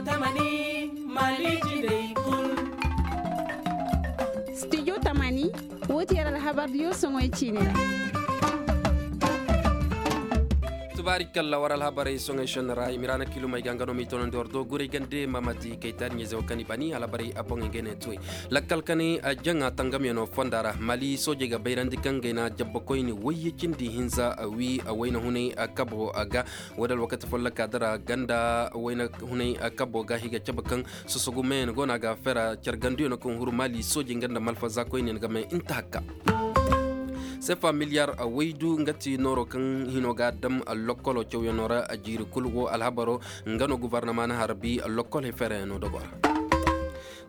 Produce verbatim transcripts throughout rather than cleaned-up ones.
Tamani, Mali jiney kulu. Studio Tamani, wo ti yar alhabar diyo soŋoy ciine ra. Tubaari kalla war alhabarey soŋoy senna ra i ma ra na kilumey ga nga no m'i toonandi war do guray gande mamati kaytaari ɲayze wo kaŋ i bani alhabarey a boŋey ga ne tuwey. Lakkal kani a jaŋa tangamyano fonda ra mali soojey ga bayrandi kaŋ gayna jabbakoyni wayye cindi hinza wi wayna hunay kabo ga. Wo da alwakati folloka dira ganda wayna hunay kabo ga higa cabe kaŋ sosogu meyan go no a ga fera care ganduyaŋ no kaŋ huru mali soojey nga nda malfaza koyne ga may inta hakka. Sefa miliyar waydu nga ti nooro kaŋ hino ga dam lokkolo cawyaŋo ra jiiri kulu wo alhabaro nga no guvarnama na harbi lokkoley feerayaŋo dogo ra.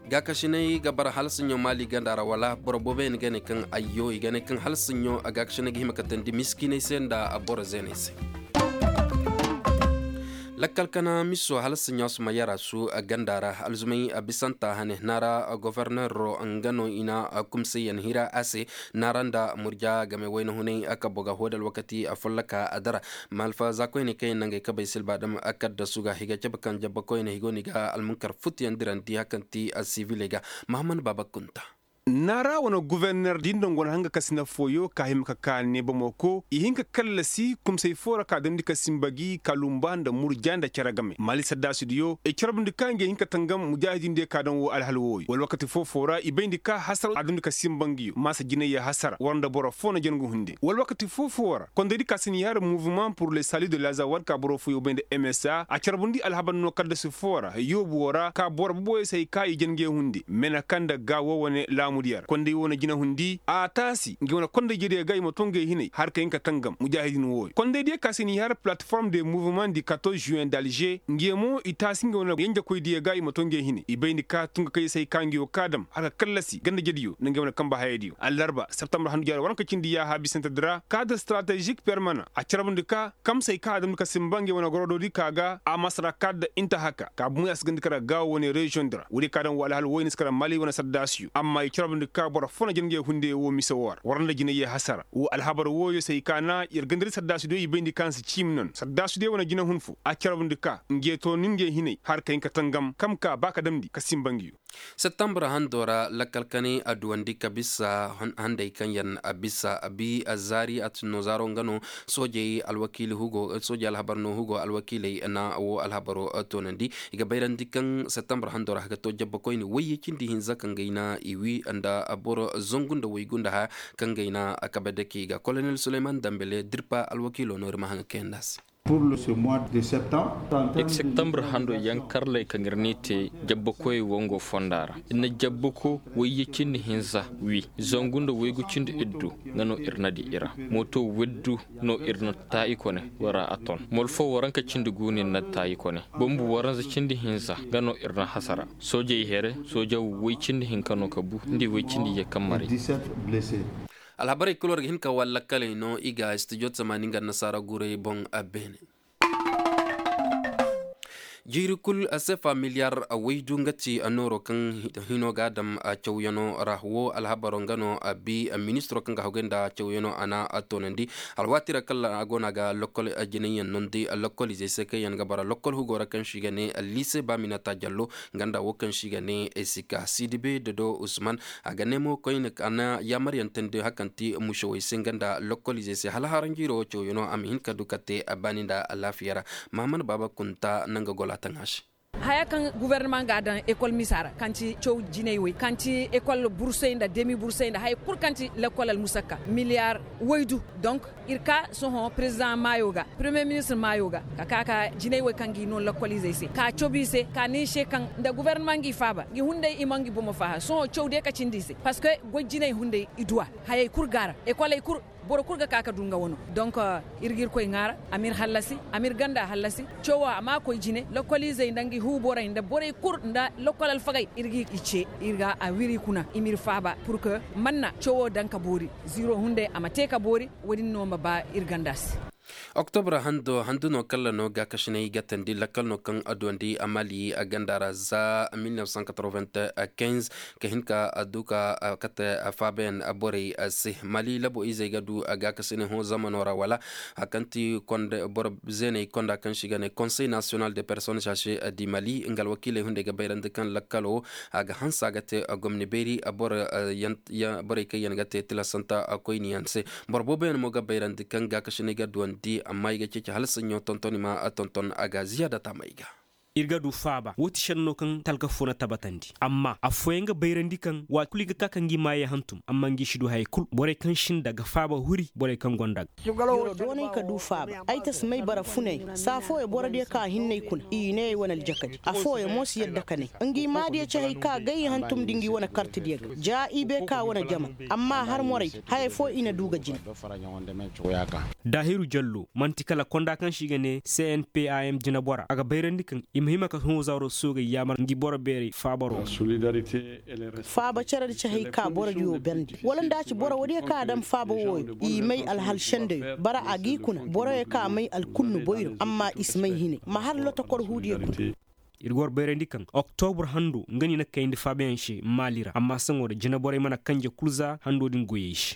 Gaakasinay ga bara hala sinɲo maali ganda ra wala boro boobo yaŋ ga ne kaŋ ayyo i ga ne kaŋ hala sinɲo gaakasinay ga hima ka tandi miskinay se nda boro zeenay se. Lakkal kana miso hala sinɲo suma yara su ganda ra alzumay bisanta hane naara goforneero nga no i na kumsayyaŋ hira a se. Naara nda murja game wayna hunay kabbo ga hoodal wakati folloka a dara. Malfa za koyne kaŋ yaŋ nangey kabay silba dam kadda suga higa cabe kaŋ jabba koyne higo ni ga almunkar futuyaŋ dirandi hakanti siviley ga. Mahammad baba kunta. Naara wane guverner din dongon hanga kasina fooyo ka hima ka ka ne bamako i hin ka kallasi kumsay fo ra ka damndi ka simba gi ka lumba nda murja nda care game mali saddaasidiyo i carbundi ka ngey hin ka tangam mujaahidindiyo ka daŋ wo alhal wooyo wala wakati foo-foo ra i bayndi ka hasara a damndi ka simba ngiyo maasa jinayya hasara war nda boro foo na jangu hunde wala wakati foo-foo ra kondaydi ka si ni har mouvement pour le salut de lazawad ka boro fooyo bay nda msa a carbundi alhabar no kaddasi foo ra yoobu wo ra ka boro boboyey se hay ka i jange hunde mena kaŋ nda ga wo wane laamudiyo ra konday wo na jina hundi a taasi ngey wane konday jediyo ga i ma to ngey hinay har ka hin ka tangam mujaahidin wooyo kondaydiyo ka si ni har plateforme de mouvement du quatorze juin d'alger ngey mo i taasi ngey wane yanjakoydiyo ga i ma to ngey hinay i bayndi ka tunga kayey se hay ka ngey wo ka dam har ka kallasi ganda jediyo nda ngey wane kamba hayadiyo allarba septembre handu jaari waranka cindi yaaha bisante dira cadre stratégique permanent a carbundi ka kamsey ka a damndi ka simba ngey wane gorodoodi ka ga a masara ka da inta haka ka bumey a si gandi kara gaawo wane reziyoŋ dira woodiyo ka daŋ wo alhal woy ni si kara mali wane saddaasiyo amma i carbundi ka boro fo na jina ngey hunde wo mise wo ra war nda jinayye hasara wo alhabar wooyo se i ka na yer gandari saddaasidiyo i bayndi ka ni si ciimi non saddaasidiyo wane jina hun fo a carbundi ka ngey to ni ngey hinay har ka hin ka tangam kam ka ba ka damndi ka simba ngiyo. Septembre hando ra lakkal kanay a duwandi ka bisa handey kaŋ yaŋ a bisa a bi a zaari a tinno zaaro nga no soojey alwakiili hugo soojey alhabar no hugo alwakiiley na wo alhabaro toonandi. I ga bayrandi kaŋ septembre hando ra ga to jabba koyne wayye cindi hinza kaŋ gay na i wi nda boro zangu nda waygu nda haya kaŋ gay na a kabe dake i ga kolonel suleyman dambele dirpa alwakiilo no iri ma haŋ ga kayandi a se. Septembre hando yaŋ karley kaŋ iri n'i te jabbakoyey wango fonda ra iri na jabbako wayye cindi hinza wi zangu nda waygu cindi iddu nga no iri na di i ra mooto widdu no iri na taayikone wara a ton mol fo waranka cindi guuni na taayikone bombu waranza cindi hinza nga no iri na hasara soojey here sooja way cindi hinka no ka bu nda way cindi ye kaŋ maray. Alhabarey kulu war ga hin ka wala lakkaley no i ga studio tamaani nga annasaara guray boŋ a beene. Jiiri kulu sefa miliyar waydu nga ti nooro kaŋ hino ga a daŋ cawyano ra wo alhabaro nga no a bi ministiro kaŋ ga haggoy nda cawyano a na a toonandi. Alwaati ra kala a go no a ga lokkol jinayyaŋ nondi lokkolizey se kaŋ yaŋ ga bara lokkol hugo ra kaŋ se i ga ne liise baaminata jallo nga nda wo kaŋ se i ga ne sika sidibe dodo usman. A ga ne mo koyne a na yaamaryaŋ tandi hakanti musawey se nga nda lokkoliizey se hala haranjiiro wo cawyaŋo a ma hin ka du ka te a baani nda alaafiya ra. Mahammad baaba kunta nanga gola taŋ a se. Haya kaŋ guverneman ga a daŋ ekol misa ra kaŋ ti caw jinay way kaŋ ti ekol bursey nda demi bursey nda haya kulu kaŋ ti lekkol almusakka miliyaar waydu. Donk iri ka sohõ perezidaŋ maayo ga peremiye ministir maayo ga ka ka ka jinay wo kaŋ ga i no lakkoliizey se ka cob i se ka ne i se kaŋ nda gobornama nga i faaba nga i hunday i ma nga i bomo faaha sohõ caw day ka cindi i se parceque goy jinay hunday i du a. Hayey kulu go a ra ekoley kulu boro kulu ga ka ka du nga wano. Donk iri ga irkoy ŋwaara a ma iri hallasi a ma iri ganda hallasi. Cawo a ma koy jine lakkoliizey nda nga i hu borey nda borey kulu nda lakkol alfagey iri ga i ce iri ga a wiri kuna i ma iri faaba pur que manna cawo daŋ ka boori ziiro hunday a ma te ka boori. Wo- din no ma ba iri ganda se. Oktobra hando handu no kalla no gaakasinay ga tandi lakkal no kaŋ a duwandi a mali a ganda ra za mil neuf cent quatre-vingt-quinze ka hin ka a du ka kate faabayaŋ borey se. Mali labo izey ga du gaakasinay hõ zamano ra wala a kaŋ ti boro zeeney konda kaŋ se i ga ne konsey nasiyonal de personnes âgées du mali nga alwakiiley hunday ga bayrandi kaŋ lakkalo a ga hanse a ga te gomni beeri borey kaŋ yaŋ ga te tilasanta koyne yaŋ se. Boro boobo yaŋ mo ga bayrandi kaŋ gaakasinay ga duwandi amma i ga ceeci hala saɲɲo tonton i ma tonton a ga ziyaada taamay ga. Iri ga du faaba wo ti senno kaŋ talka fo na tabatandi amma afooyaŋ ga bayrandi kaŋ waati kulu i ga ka kaŋ ga i maayey hantum amma nga i si du hayey kulu borey kaŋ sinda ga faaba huri borey kaŋ gonda ga. Doonay ka du faaba ay ta si may bara funay saafooyo borodiyo ka a hinne ay kuna i ne ay wane aljakadi afooyo mo si yadda ka ne nga i maadiyo ci hay ka gay i hantum da nga i wane kartidiyo ga ja i bay ka wane jama. Amma har morey hayey fo i na du ga jina. Daahiru jallo manti kala konda kaŋ se i ga ne cnpam jinabora a ga bayrandi kaŋ i ma hima ka hõ zaaro soogey yaamar ngi boro beerey faabaro. Faaba care da ci hay ka boro diyo berndi wala nda a ci boro woodiyo kaŋ a daŋ faaba wooyo i may alhal sendeyo bara a g'i kuna boroyo kaŋ a may alkunnu boyro amma i si may hinay ma har lotokor huudiyo kuna. Iri ga war bayrandi kaŋ oktobur hando nga no i na kayndi faabayaŋ se maali ra amma saŋo da jinaborey mana kanje kulu za hando din goyey se.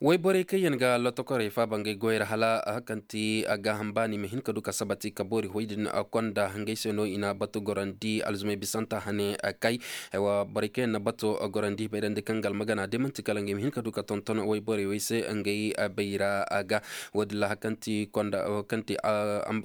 Wayborey kaŋ yaŋ ga lotokorey faaba ngey goyey ra hala kaŋ ti gaaham baani ma hin ka du ka sabati ka boori hoy din konda ngey se no i na batu gorandi alzumey bisanta hane kay. Borey kaŋ yaŋ na bato gorandi bayrandi kaŋ ga almagana day manti kala ngey ma hin ka du ka tonton wayborey wey se ngey bayra ga. Wo- din ra hari kaŋ ti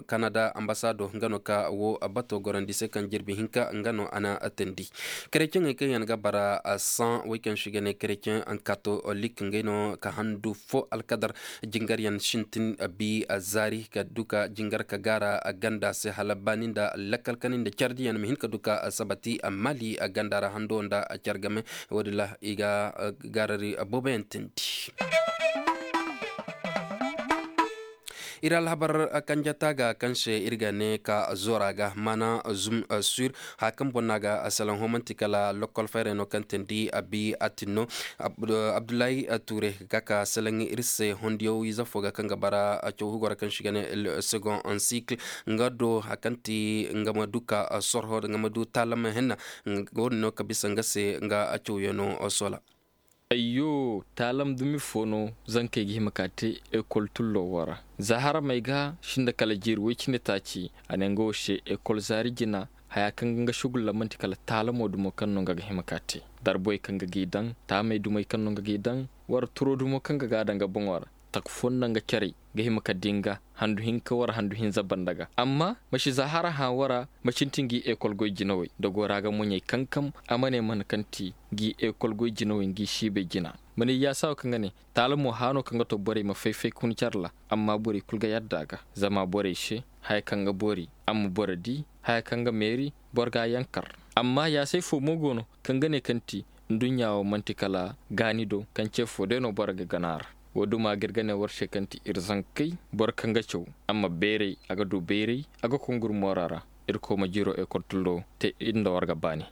kanada ambasado nga no ka wo bato gorandi se kaŋ jirbi hinka nga no a na teendi. Kereceŋey kaŋ yaŋ ga bara saŋ wey kaŋ se i ga ne kereceŋ katolik ngey no ka handu fo alkadar jingaryaŋ sintin bi zaari ka du ka jingar ka gaara ganda se hala baani nda lakkal kani nda care diyaŋ ma hin ka du ka sabati mali ganda ra hando nda care game. Wo- din ra i ga gaarari booboyaŋ teendi. Iri alhabar kanjata ga kaŋ se iri ga ne ka zoora ga mana zum sur haya kaŋ boŋ no a ga salaŋ hõ manti kala lokkol fayray no kaŋ teendi abi atin no. Abdullahi ture ga ka salaŋ iri se hondiyaw ize fo ga kaŋ ga bara caw hugoro kaŋ se i ga ne second encycle nga do haya kaŋ ti nga ma du ka sorho nga ma du taalam henna. Wo- din no ka bisa nga se nga cawyaŋo soola. Ayyo, taalam dumi fo no zankey ga hima ka te ekol tullo wo ra. Za haramey ga sinda kala jiiri woy cindi taaci a ne nga wo se ekol zaari jina haya kaŋ ga nga sugulla manti kala taalamo dumo kaŋ no nga ga hima ka te. Darboy kaŋ ga g'i daŋ taamey dumey kaŋ no nga g'i daŋ wara turo dumo kaŋ ga g'a daŋ ga boŋo ra. Taka fo nda nga carey ga hima ka dinga handu hinka wara handu hinza banda ga amma ma si za hara hã wara ma sintin g'i ekol goy jinawey da gora ga moɲey kankam a ma ne mana kaŋ ti g'i ekol goy jinawey ngi siibey jina. Ma ne yaasawo kaŋ ga ne taala mo hano kaŋ ga to borey ma fay-fay ka hun care ra amma borey kulu ga yadda ga zama borey se haya kaŋ ga boori a ma boro di haya kaŋ ga meeri boro ga a yankar. Amma yaasay fo mo go no kaŋ ga ne kaŋ ti nduɲɲa wo manti kala gaani do kaŋ ce fo day no boro ga gana ra. Wo- duma ga iri ga ne war se kaŋ ti iri zankey boro kaŋ ga caw a ma bayray a ga du bayray a ga konguru moora ra. Irkoy ma jiiro ekol tullo te iri nda war ga baani.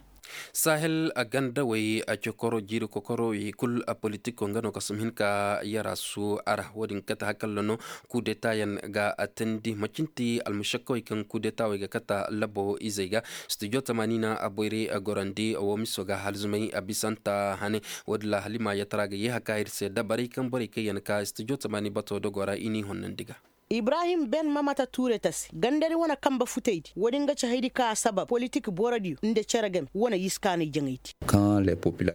Sahel gandawey cokoro jiiri kokoro i kulu politiko nga no kasum hin ka yara su a ra wo- din kate hakalla no. Kudeta yaŋ ga teendi macin ti almusakkawey kaŋ kudeta wey ga kata labo izey ga. Studio tamaani na a boyray gorandi wo miso ga halzumay a bisanta hane. Wo- din ra halima yatara ga ye haka iri se dabarey kaŋ borey kaŋ yaŋ ka studio tamaani bato dogo ra i n'i honnandi ga. Ibrahim ben mamata ture tasi gandari wane kambe futaydi wo- din ga ci haydi ka a sabab politik borodiyo nda cere game wane yiskaanay jaŋaydi.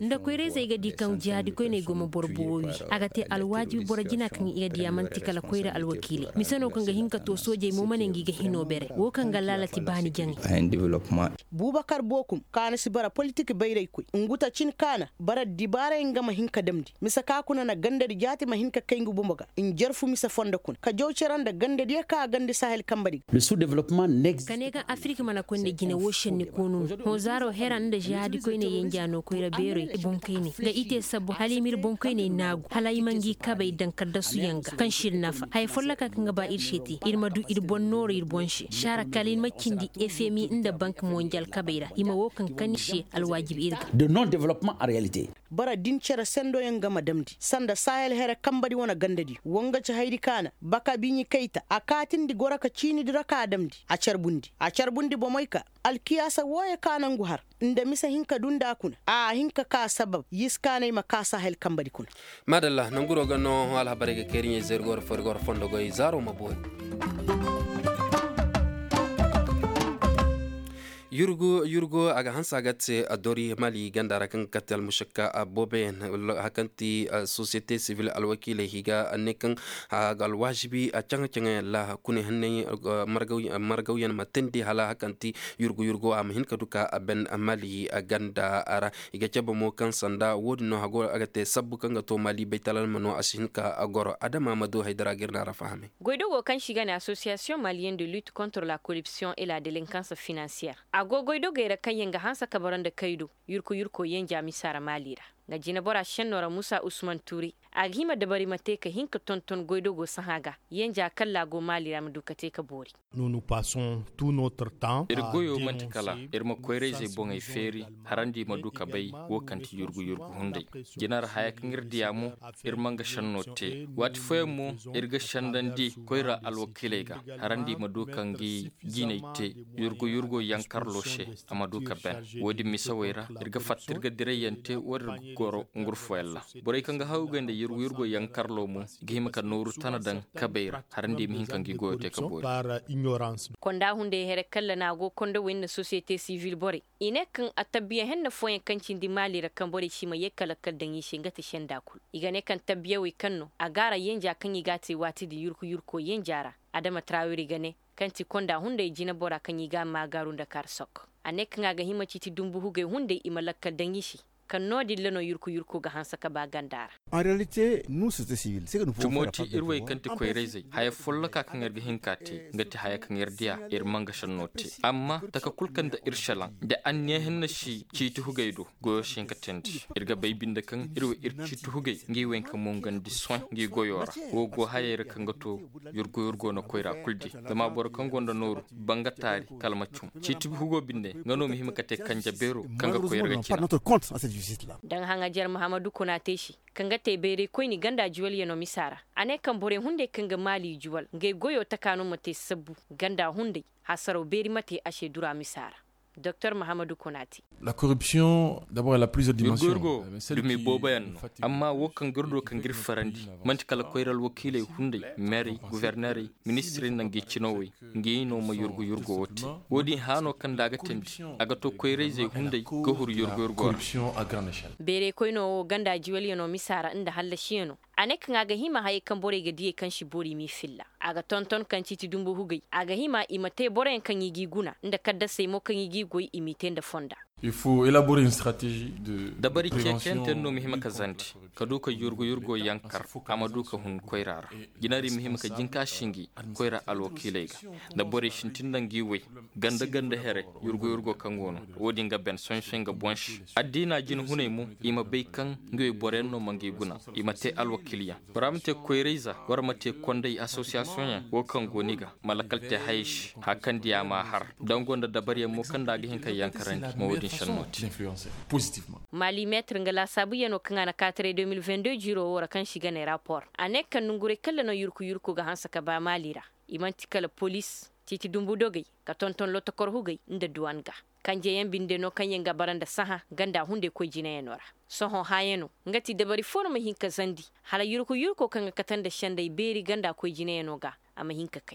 Nda koyrayzey ga di kaŋ jihaadi koyney go ma boro buwo wi a ga te alwaajibi boro jina kaŋ i ga diya manti kala koyra alwakiiley mise no kaŋ ga hin ka to soojey mo ma ne ngi ga hino bere wo kaŋ ga laalati baani jaŋay. Bubakar bookum kaana si bara politik bayraykoy ngu ta cin kaana bara dibaaray nga ma hin ka damndi mise ka kuna na gandadi jaati ma hin ka kay ngu bumbo ga njarfu mise fondo kuna ka jaw cere nda gandadiyo ka a gandi sahel kambadi ga. Ka ne ga afirik mana konda jine wo senni koonu no hõ zaaro hera nda zihaadi koyne yenja no koyra beerey boŋ kayne ga i te sabbu hala i ma iri boŋ kayney naagu hala i ma ngi kabey daŋ kaddasu yaŋ ga kaŋ si iri nafa haya folloka kaŋ ga ba iri se te iri ma du iri boŋ nooro iri boŋ se saara kala iri ma cindi efemi nda bank monjal kabey ra i ma wo kaŋ kan iri se alwaajibi iri ga. De non development en realite. Boro din cere sendo yaŋ ga ma damndi sanda sahel here kambadi wane gandadi wo nga ci haydi kaana baka biiɲi kayta a kaatindi goro ka ciinidi ra ka damndi a carbundi a carbundi bomoy ka alkiyaasa wooyo ka nangu har nda mise hin ka dunda kuna a hin ka ka sabab yiskaanay ma ka sahel kambadi kuna. Maadalla nanguro ga no alhabarey ga kayri ɲey zeeri goro fo iri goro fondo goy zaaro ma boori. Yurgu yurgu a ga hanse a ga te a dori mali ganda ra kaŋ ga kate almushakka boobo yaŋ hari kaŋ ti sosiyete sivil alwakiiley i ga ne kaŋ a ga alwazibi caŋa caŋa yaŋ ra kune hanney margawyaŋ ma teendi hala hari kaŋ ti yurgu yurgu a ma hin ka du ka a ban mali ganda ra. I ga cabe mo kaŋ sanda wo- din no hago a ga te sabbu kaŋ ga to mali baytalal ma no a si hin ka goro adama ma du haydara ga iri no a ra fahamay. Goydogo kaŋ se i ga ne association malienne de lutte contre la corruption et la délinquance financière a go goydogey ra kaŋ yaŋ ga hanse ka bara nda kaydo yurku yurko yanja misa ra maali ra. Nga jine bora senno ra musa usman tuuri a ga hima dabari ma te ka hin ka tonton goydogo sahã ga yanja kaŋ laago maali ra ma du ka te ka boori. Iri goyo manti kala iri ma koyra-izey boŋey feeri harandi ma du ka bay wo kaŋ ti yurgu yurgu hunday. Jina ra haya kaŋ iri diya mo iri ma nga senno te waati fooyaŋ mo iri ga sendandi koyra alwakiiley ga harandi ma du ka ngi jinay te yurgu yurgo yankarlo se a ma du ka ban. Wo- din misawey ra iri ga fatta iri ga dirayyaŋ te wo- din iri ga goro ngurfoyaŋ ra. Borey kaŋ ga hawgay nda yurgu yurgo yankarlo mo i ga hima ka nooru tana daŋ kabey ra harandi ma hin ka ngi goyo te ka boori. Konda hunday here kaŋ lana go konda wo nda sosiyete sivil borey i ne kaŋ a tabbiya henne fooyaŋ kaŋ cindi maali ra kaŋ borey si ma ye ka lakkal daŋ i se nga ti senda kulu i ga ne kaŋ tabbiyawey kaŋ no a gaara yenja kaŋ i ga a te waati din yurku yurko yenja ra. Adama trawiri ga ne kaŋ ti konda hunday jinabora kaŋ i ga a maagaaru nda kaari sokko a ne kaŋ a ga hima ciiti dumbu hugey hunday i ma lakkal daŋ i se. Kaŋ no- din ra no yurku yurko ga hanse ka ba ganda ra. Tumoti iri wey kaŋ ti koyra-izey haya folloka kaŋ iri ga hin ka te nga ti haya kaŋ iri diya iri manga sanno te amma taka kulu kaŋ nda iri salaŋ da anniya hinne si ciiti hugey do goyo si hin ka teendi. Iri ga bay binde kaŋ iri wo iri ciiti hugey ngi wo yaŋ ka mongandi sohõ ngi goyo ra. Wo go hayey ra kaŋ ga to yurgu yurgo na koyra kulu di zama boro kaŋ gonda nooru banga taari kala ma cum ciiti hugo binde nga no ma hima ka te kanje beero kaŋ ga koyra ga cina. Daŋ haŋajer mahamadu kuna te se kaŋ ga te bayray koyne ganda juwalyaŋo misa ra. A ne kaŋ borey hunday kaŋ ga maali juwal ngey goyo taka no ma te sabbu ganda hunday hasaraw beeri ma te a se dura misa ra. Doktor mahamadu kuna te. Yurgo yurgo dumi boobo yaŋ no amma wo kaŋ ga iri do kaŋ ga iri farandi manti kala koyra alwakiiley hunday meerey guverneerey ministirey nda ngi cinawey ngi no ma yurgu yurgo wo te. Wo- din hã no kaŋ nda a ga teendi a ga to koyra-izey hunday ga huru yurgu yurgo ra. Beeray koyno wo ganda juwalyaŋo misa ra nda hallasiyaŋo a ne kaŋ a ga hima hayey kaŋ borey ga diyey kaŋ si boori m'i filla. A ga tonton kaŋ ciiti dumbu hugey a ga hima i ma te boroyaŋ kaŋ i g'i guna nda kaddasey mo kaŋ i g'i goy i m'i te nda fonda. Dabari ceeciyaŋ te no ma hima ka zandi ka du ka yurgu yurgo yaŋ kar a ma du ka hun koyra ra. Jinari ma hima ka jin ka sinji koyra alwakiiley ga nda borey sintin nda ngi way ganda ganda here yurgu yurgo kaŋ go no. Wo- din ga ben sohõ sohõ nga boŋ se addiina jinahuney mo i ma bay kaŋ ngi way boroyaŋ no ma ngi guna i ma te alwakiilyaŋ. Bora ma te koyra-ize war ma te kondey association yaŋ wo kaŋ go ni ga ma lakkal te hayey se hari kaŋ diya ma a har dango nda dabariyaŋ mo kaŋ nda a ga hin ka yankarandi ma wo- din senno te. Mali meetir nga laasaabuyaŋo kaŋ a na kaataray deux mille vingt-deux jiiro wo ra kaŋ se i ga ne rapport a ne kaŋ nongurey kaŋ ra no yurku yurku ga hanse ka ba mali ra. I manti kala poliis ciiti dumbu dogey ka tonton lotokor hugey nda duwan ga. Kanjeyaŋ binde no kaŋ yaŋ ga bara nda sahã ganda hunday koy jinayaŋo ra. Sohõ hãyaŋo nga ti dabari fo no ma hin ka zandi hala yurku yurko kaŋ ga kate nda sendey beeri ganda koy jinayaŋo ga a ma hin ka kay.